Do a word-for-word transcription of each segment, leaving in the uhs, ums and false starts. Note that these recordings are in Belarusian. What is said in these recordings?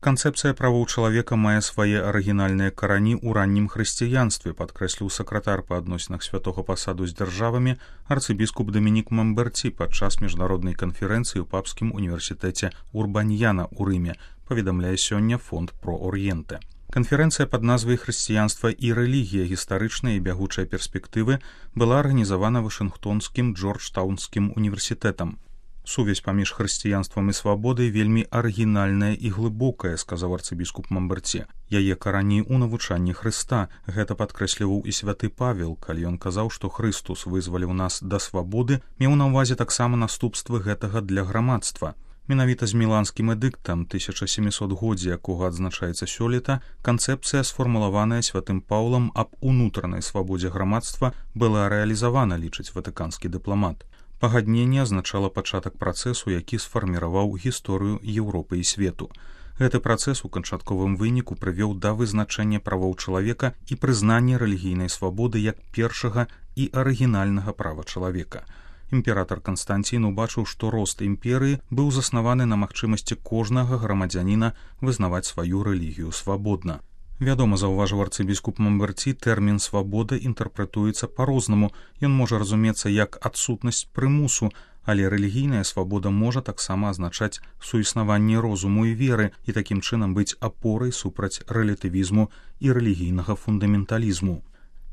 Канцэпцыя правоў чалавека мае свае арыгінальныя карані ў раннім хрысціянстве, падкрэсліў сакратар па адносінах святога пасаду з дзяржавамі арцыбіскуп Дамінік Мамберці падчас міжнароднай канферэнцыі ў папскім універсітэце Урбаньяна ў Рыме, паведамляе сёння фонд Про Орієнте. Канферэнцыя пад назвай «Хрысціянства і рэлігія. Гістарычныя і бягучыя перспектывы» была арганізавана Вашынгтонскім Джорджтаунскім універсітэтам. Сувязь паміж хрысціянствам і свабодай вельмі арыгінальная і глыбокая, сказаў арцыбіскуп Мамберці. Яе карані ў навучанні Хрыста. Гэта падкрэсліваў і святы Павел, калі ён казаў, што Хрыстус вызваліў нас да свабоды, меў на ўвазе таксама наступствы гэтага для грамадства. Менавіта з міланскім эдыктам тысяча сямісотгоддзя, якога адзначаецца сёлета, канцэпцыя, сфармулаваная святым Паўлам аб унутранай свабодзе грамадства, была рэалізавана, лічыць ватыканскі дыпламат. Пагадненне азначала пачатак працэсу, які сфарміраваў гісторыю Еўропы і свету. Гэты працэс у канчатковым выніку прывёў да вызначэння правоў чалавека і прызнання рэлігійнай свабоды як першага і арыгінальнага права чалавека. Імператар Канстанцін убачыў, што рост імперыі быў заснаваны на магчымасці кожнага грамадзяніна вызнаваць сваю рэлігію свабодна. Вядома, заўважыў арцыбіскуп Мамберці, тэрмін «свабода» інтэрпрэтуецца па-рознаму. Ён можа разумецца як адсутнасць прымусу, але рэлігійная свабода можа таксама азначаць суіснаванне розуму і веры і такім чынам быць апорай супраць рэлятывізму і рэлігійнага фундаменталізму.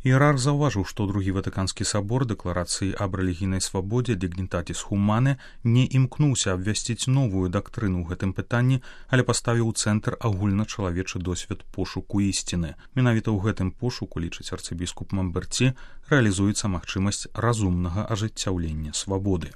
Іерарх заўважыў, што другі ватыканскі сабор дэкларацыі аб рэлігійнай свабодзе «Dignitatis Humanae» не імкнуўся абвясціць новую дактрыну ў гэтым пытанні, але паставіў у цэнтр агульначалавечы досвед пошуку ісціны. Менавіта ў гэтым пошуку, лічыць арцыбіскуп Мамберці, рэалізуецца магчымасць разумнага ажыццяўлення свабоды.